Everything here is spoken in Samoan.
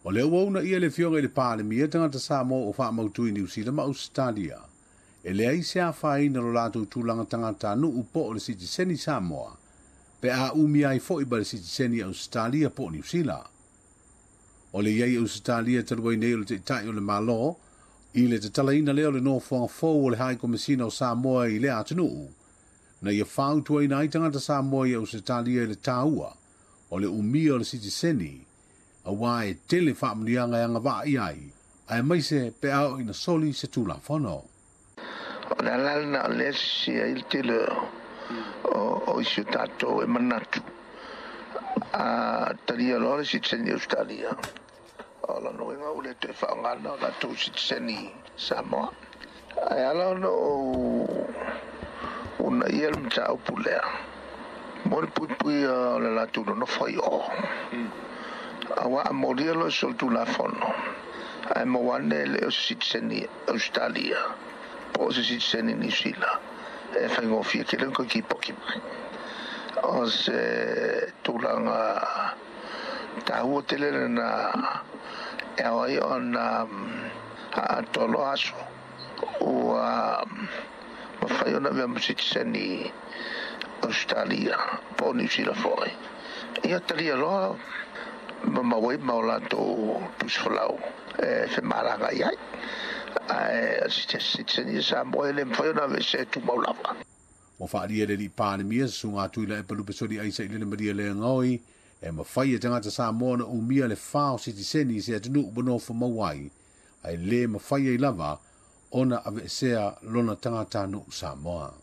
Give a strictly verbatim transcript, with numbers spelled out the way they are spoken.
O lea ua uunaia le Afioga i le Palemia tagata Samoa ua faamautu i Niu Sila ma Ausetalia. E leai se afaina lo latou tulaga tagatanuu po o le sitiseni Samoa, pe a umia ai foi ma le sitiseni Ausetalia po o Niu Sila. O le i ai i Ausetalia talu ai nei o le Taitai o le Malo, i le tatalaina lea o le nofoaga fou o le Hai Komesina o Samoa i lea atunuu, na ia fautuaina ai tagata Samoa i Ausetalia i le taua o le umia o le sitiseni, auā e tele faamanuiaga e agavaa i ai, aemaise pe a oo ina soli se Tulafono. O le ala lena o lea e sisi ai le tele o, o isi o tatou e manatu a talia loa le sitiseni Australia, o lona uiga ua le toe faaaogaina o latou sitiseni Samoa. Ae ala ona ou uunaia le mataupu lea, mo le puipuia o le latou nonofo ai o. Auā a molia loa se solitulafono, ae maua ane e le o se sitiseni Australia po o se sitiseni Niu Sila, e faigofie tele ona toe tipoti mai. O se tulaga taua tele lena e ao ai ona atoa loa aso ua mafai ona avea ma sitiseni Australia po o Niu Sila foi. Ia talia loa ma maua ai ma o latou tusi folau e femalagai ai. Ae o se sitiseni Samoa e le mafai ona aveesea e tumau lava. Ua faaalia e le alii Palemia se susuga Tuilaepa Lupesoli Aisa i le Malielegaoi e mafai e tagata Samoa ona umia le fa o sitiseni i se atunuu ua nofo mau ai, ae le mafai ai lava ona aveesea lona tagatanuu Samoa.